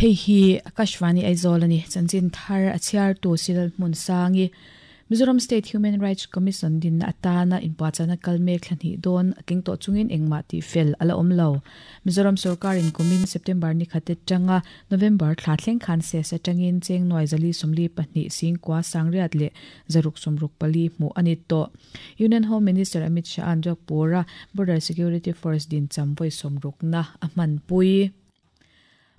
Hei hi Akashvani Aizawl a ni. Chanchin thar a chhiartu Silal Hmunsangi, Mizoram State Human Rights Commission dinna atana inpuahchahna kal mek thla hnih dawn a tling tawh chungin engmah tih fel a la awm lo. Mizoram sorkarin kumin September ni khat atanga November thla thleng khan ses atangin cheng nuai zali 42 singkua sangriat leh zaruk 64 hmuh a ni tawh. Union Home Minister Amit Shah-a'n Jodhpur-a Border Security Force din cham vawi sawmrukna a hmanpui.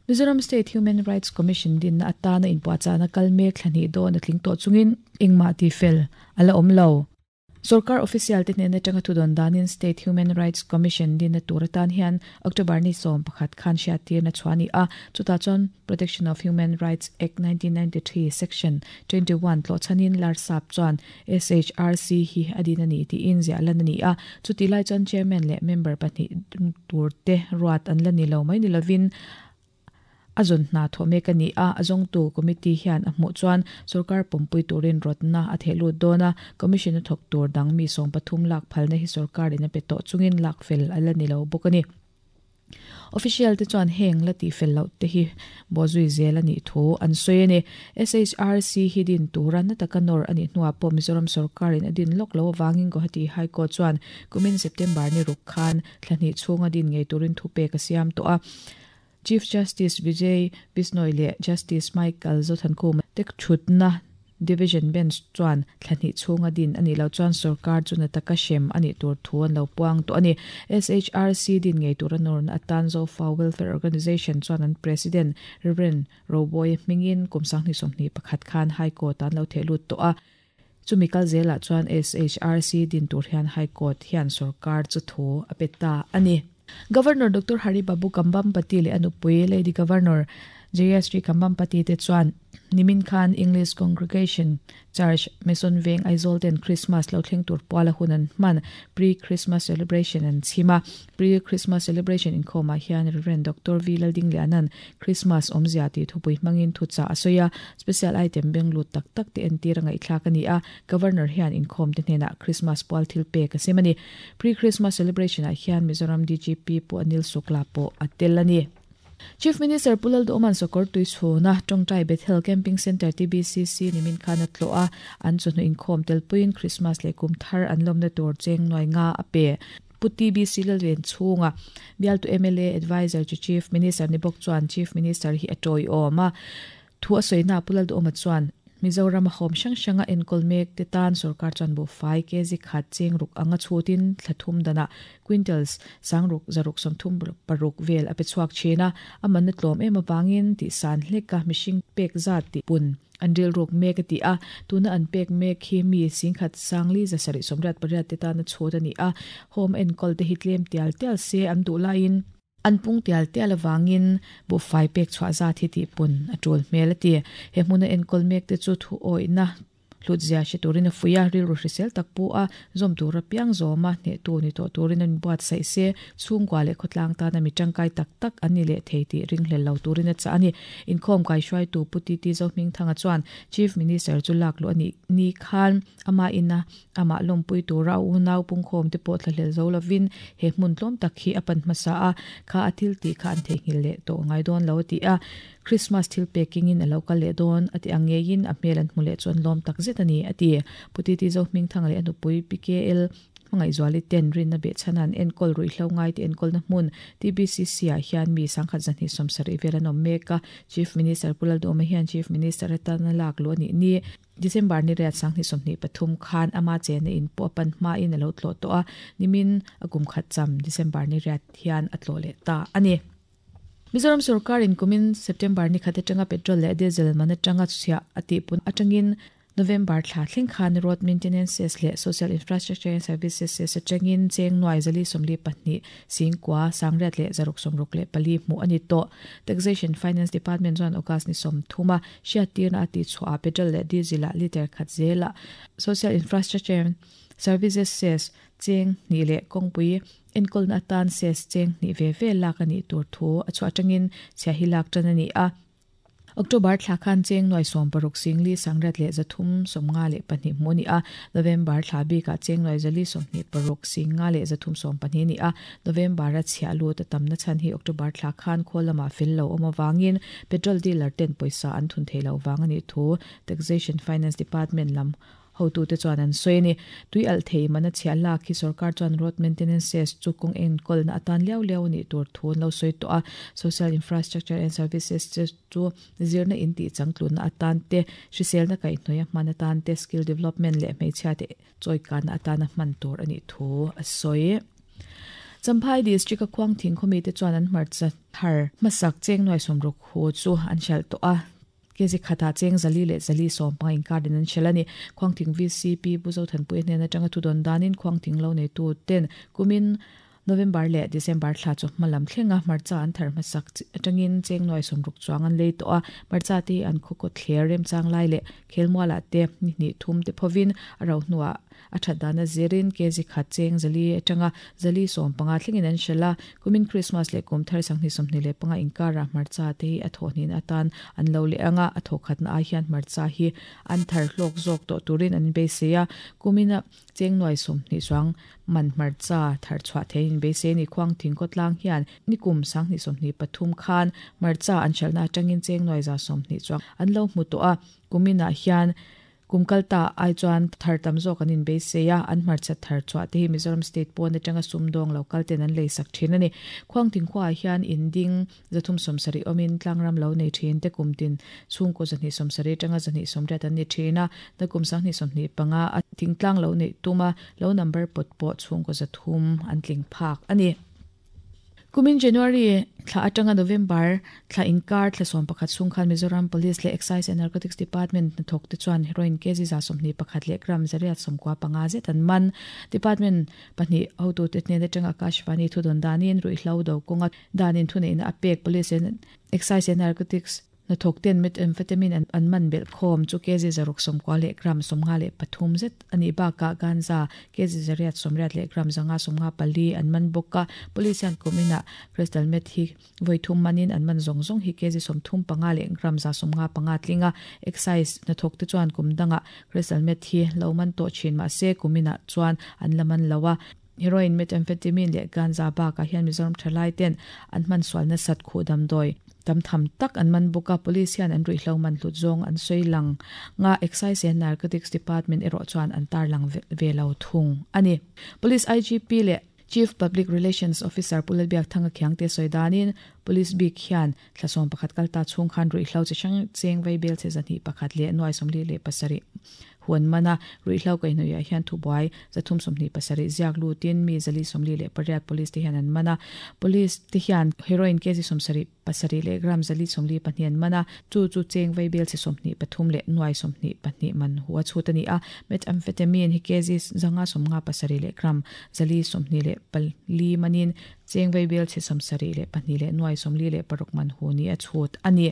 Mizoram State Human Rights Commission dinna atana inpuahchahna kal mek thla hnih dawn a tling tawh chungin engmah tihfel a la awm lo. Sorkar official te hnen atanga thudawn danin State Human Rights Commission dinna tur atan hian October ni 11 khan hriattirna chhuah a ni a, chutah chuan Protection of Human Rights Act 1993 Section 21 tlawhchhanin Larsap chuan SHRC hi a din a ni tiin ziah lan a ni a, chutih lai chuan Chairman leh member pahnih tur te ruat an la ni lo mai ni lovin a zawn hna thawh mek a ni a, a zawngtu committee hian a hmuh chuan sorkar pawmpui turin rawtna a theh lut dawn a, commission a thawk tur dang mi 13 lak phalna hi sorkarin a pe tawh chungin lak fel a la ni lo bawk a ni. Official te chuan heng la tih fel loh te hi bawhzui zel a nih thu an sawi a ni. SHRC hi din tura na taka nawr a nih hnuah pawh Mizoram sorkarin a din lawk lo avangin Guwahati High Court chuan kumin September ni ruk khan thla hnih chhunga din ngei turin thupek a siam tawh a. Chief Justice Vijay Bishnoi leh Justice Michael Zothankhuma te thutna Division Bench chuan thla hnih chhunga din a nih loh chuan sorkar chu na taka hrem a nih tur thu an lo puang tawh a ni. SHRC din ngei tura nawrna atan Zofa Welfare Organisation chuan an President Rev. Roboy hmingin kum 2021 khan High Court ah an lo theh lut tawh a. Chumi kal zelah chuan SHRC din tur hian High Court hian sorkar chu thu a pe ta a ni. Governor Doctor Hari Babu Kambhampati leh a nupui Lady Governor Jayashree Kambhampati te chuan nimin khan English Congregation Church Mason Veng Aizawl ten Christmas lo thleng tur puala hun an hman Pre-Christmas Celebration an chhim a. Pre-Christmas Celebration inkhawmah hian Rev. Doctor V Laldingliana'n Christmas awmzia tih thupui hmangin thuchah a sawi a, special item beng lut tak tak te entir a ngaihthlak a ni a, Governor hian inkhawm te hnenah Christmas pual thil pek a sem a ni. Pre-Christmas Celebration ah hian Mizoram DGP Pu Anil Sukla pawh a tel a ni. Chief Minister Pu Lalduhawman Sawkawr tui chhuna Tawngtai Bethel Camping Centre TBCC nimin khan a tlawh a, an chawhnu inkhawm telpuiin Christmas leh kum thar an lawmna tur cheng nuai nga a pe. Pu TBC Lalven chhunga bialtu mla Adviser chu Chief Minister ni bawk chuan Chief Minister hi a tawiawm a. Thu a sawina Pu Lalduhawma chuan Mizoram a hawm hrang hranga enkawl mek te tan sorkar chuan buhfai kg khat cheng ruk anga chhutin thla thum danah quintals sangruk zaruk 36 vel a pe chhuak thin a, a manna tlawm em avangin tihsan hleka mihring pek zat tih pun an rilruk mek a ti a, tuna an pek mek hi mi singkhat sangli 788 te tana chhut a ni a, home enkawl te hi tlem tial tial se an duh laiin an pung tial tial avangin buhfai pek chhuah zat hi tihpun a tul hmel a ti. He hmuna enkawl mek te chu thu awihna hlutzia hre turin a fuih a, rilru hrisel tak pu a, zawm tura piang zawma hnehtu ni tawh turin an inbuatsaih se, chhungkua leh khawtlang tana mi tangkai tak tak an ni leh thei tih ringhlel lo turin a chah a ni. Inkhawm kaihruaitu Pu TT Zohmingthanga chuan Chief Minister chu lak luh a nih ni khan ama ina amah lawmpui tura a unau pungkhawm te pawh thlahlel zo lovin he hmun tlawm tak hi a pan hmasa a, kha a thil tih kha an theihnghilh leh tawh ngai dawn lo a ti a. Christmas thil pekingin a lo kal leh dawn a ti ang ngeiin a hmel an hmu leh chu an lawm tak zet a ni, a ti. Pu Titi Zohmingthanga leh a nupui PKL Hmangaihzuali ten rinna behchhana an enkawl ruihhlo ngai te enkawlna hmun TBCC ah hian mi 1270 vel an awm mek a. Chief Minister Pu Lalduhawma hian Chief Minister atana lak luh a nih ni. December ni riat 2023 khan ama chenna in pawh a pan hmain a lo tlawh tawh a, nimin a kum khat cham December ni riat hian a tlawh leh ta a ni. Mizoram sorkarin kumin September ni khat atanga petrol leh diesel man atanga chhiah a tihpun atangin November thla thleng khan Road Maintenance Cess leh Social Infrastructure and Services Cess atangin cheng nuai 422 singkua sangriat leh 664 hmuh a ni tawh. Taxation Finance Department chuan August ni 30 a hriattirna a tihchhuah ah petrol leh diesel ah litre khat zelah Social Infrastructure and Services Cess cheng hnih leh kawngpui enkawlna atan cess cheng hnih ve ve lak a nih tur thu a chhuah atangin chhia hi lak tan a ni a. October thla khan cheng nuai 60 singli sangriat leh 352 hmuh a ni a, November thla bikah cheng nuai 426 singa leh 312 ni a, November a chhiah lut a tamna chhan hi October thla khan khawl lamah fel lo awm avangin petrol dealer ten pawisa an thun thei loh vang a nih thu Taxation Finance Department lam hotute chuan an sawi a ni. Tui alh thei mana chhiah lak hi sorkar chuan road maintenance cess chu kawng enkawlna atan liau liau a nih tur thu an lo sawi tawh a. Social Infrastructure and Services chu zirna in tih changtlunna atan te, hriselna kaihhnawih a hman atan te, skill development leh hmeichhiate chawikana atana hman tur a nih thu a sawi. Champhai District a Khuangthing khawmite chuan an hmarcha thar hmasak cheng nuai 60 hu chu an hralh tawh a. Kezi khatah cheng 400 leh 450 inkarin an hralh a ni. Khuangthing VCP Pu Zothanpuia hnen atanga thudawn danin Khuangthing lo neitu ten kumin November leh December thla chu hma lam thlenga hmarcha an thar hmasak atangin cheng nuai 60 chuang an lei tawh a. Hmarcha te hi an khaw kawt thler remchang lai leh khelmualah te ni hnih thum te phovin a ro hnuah A that dana zirin kg khat cheng 400 atanga 450 thlengin an hralh a, kumin Krismas leh kum thar 2025 inkarah hmarcha te hi a thawhnin atan an lo leh ang a, a thawkhatna ai hian hmarcha hi an thar hlawk zawk tawh turin an beisei a, kumina cheng nuai 20 chuang man hmarcha thar chhuah theiin an beisei a ni. Khuangthing khawtlang hian nikum 2023 khan hmarcha an hralhna atangin cheng nuai 120 chuang an lo hmu tawh a, kuminah hian Kum kal ta ai chuan thar tam zawk an inbeisei a, an hmarcha thar chhuah te hi Mizoram State pawn atanga sumdawng lo kal ten an lei sak thin a ni. Khuangthing khuaah hian in ding 370 awmin tlangram lo nei thin te kum tin chhungkaw 270 atanga 280 an ni thin a, nakum 2025 a thingtlang lo neih tuma lo number pawt pawh chhungkaw 300 an tling phak a ni. Kumin January thla atanga November thla inkar thla 11 chhung khan Mizoram Police leh Excise and Narcotics Department hnathawk te chuan heroin kg 121 leh gram 895 zet an man. Department pahnih hotute hnen atanga Akashvani thudawn danin ruihhlo do kawnga danin thuneihna a pek Police and Excise and Narcotics Hnathawk ten methamphetamine an man belh khawm chu kg 690 leh gram 53 zet a nih bakah ganja kg 880 leh gram 554 an man bawk a. Police hian kum inah crystal meth hi vawi thum manin an man zawng zawng hi kg 35 leh gram 155 tling a. Excise hnathawk te chuan kum dangah crystal meth hi lo man tawh thin mah se kum inah chuan an la man lo a. Heroin, methamphetamine leh ganja bakah hian Mizoram thalai ten an hman sual nasat khuh damdawi tam tham tak an man bawk a, police hian an ruihhlo man hlut zawng an sawi lang nga, Excise and Narcotics Department erawh chuan an tarlang ve lo thung a ni. Police IGP leh Chief Public Relations Officer Pu Lalbiakthanga Khiangte sawi danin Police bik hian thla 11 kal ta chhung khan ruihhlo chi hrang cheng vei bel che 201 leh nuai 47 Huan mana ruihhlo kaihhnawihah hian thubuai 327 ziak lutin mi 448 police te hian an man a. Police te hian heroin kg 77 leh gram 442 an man a, chu chu cheng vaibel chhe 23 leh nuai 22 man hu a chhut a ni a. Methamphetamine hi kg 557 leh gram 424 manin cheng vaibel chhe 72 leh nuai 46 man hu ni a chhut a ni.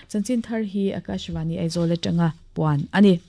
Chanchin thar hi Akashvani Aizawl atanga puan a ni.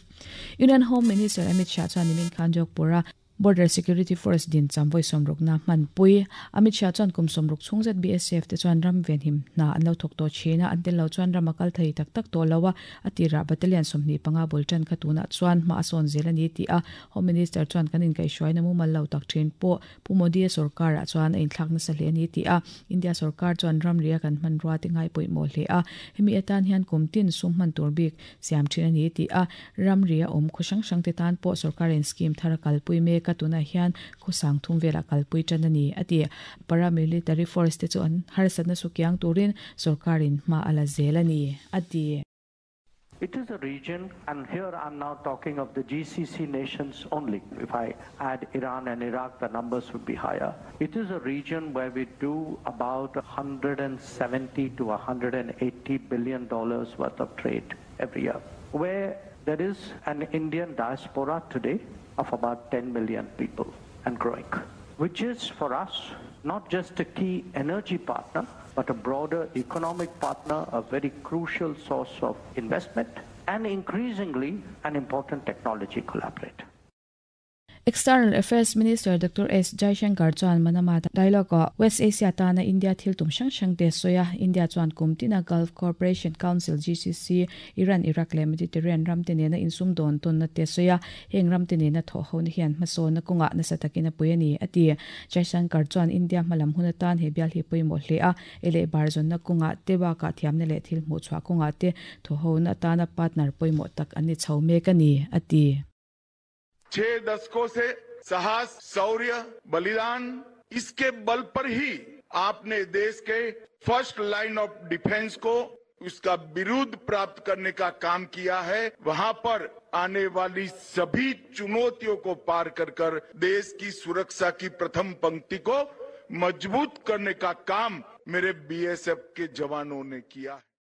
Union Home Minister Amit Shah chuan nimin khan Jodhpur-a Border Security Force din cham vawi 60 na hmanpui. Amit Shah chuan kum 60 chhung zet BSF te chuan ram venhim hna an lo thawk tawh thin a, an tel lo chuan ram a kal thei tak tak tawh lo a, a tirah battalion 25 bul tan kha tunah chuan hma a sawn zel a ni tih a Home Minister chuan kan inkaihhruaina mumal lo tak thin pawh Pu Modi-a sorkarah chuan a inthlak nasa hle a ni tih a, India sorkar chuan ramria kan hmanrua te ngai pawimawh hle a, hemi atan hian kum tin sum hman tur bik siam thin a ni tih a, ramria awm khaw hrang hrang te tan pawh sorkarin scheme thar a kalpui mek a, tunah hian khaw sang thum velah kalpui tan a ni a ti. Paramilitary force te chu an harsatna sukiang turin sorkarin hma a la zel a ni a ti. It is a region, and here I'm now talking of the GCC nations only. If I add Iran and Iraq, the numbers would be higher. It is a region where we do about 170 to 180 billion dollars worth of trade every year, where there is an Indian diaspora today of about 10 million people and growing, which is for us not just a key energy partner, but a broader economic partner, a very crucial source of investment, and increasingly an important technology collaborator. External Affairs Minister Doctor S Jaishankar chuan Manama Dialogue-ah West Asia tana India thil tum hrang hrang te a sawi a. India chuan kum tina Gulf Cooperation Council, GCC, Iran, Iraq leh Mediterranean ramte nena insum dawn tawnna te a sawi a. Heng ramte nena thawh hona hian hmasawnna kawngah nasa takin a pui a ni, a ti. Jaishankar chuan India hmalam hun atan he bial hi pawimawh hle a, ei leh bar zawnna kawngah te bakah thiamna leh thil hmuh chhuah kawngah te thawhhona atana partner pawimawh tak an ni chho mek a ni, a ti. छह दशकों से साहस, शौर्य, बलिदान इसके बल पर ही आपने देश के first line of defence को उसका विरुद्ध प्राप्त करने का काम किया है। वहां पर आने वाली सभी चुनौतियों को पार कर कर देश की सुरक्षा की प्रथम पंक्ति को मजबूत करने का काम मेरे बीएसएफ के जवानों ने किया है।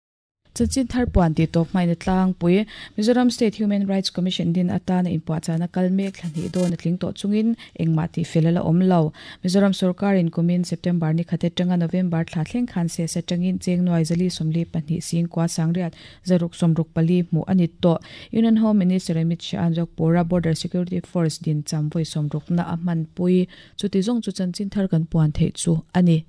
Chanchin thar puan tih tawp hmain a tlangpui. Mizoram State Human Rights Commission din atana inpuahchahna kal mek thla hnih dawn a tling tawh chungin engmah tih fel a la awm lo. Mizoram sorkarin kumin September ni khat atanga November thla thleng khan ses atangin cheng nuai zali 42 sing kua sangriat zaruk 64 hmuh a ni tawh. Union Home Minister Amit Shah-a'n Jogpura Border Security Force din cham vawi sawmrukna a hmanpui. Chuti zawng chu chanchin thar kan puan theih chu a ni.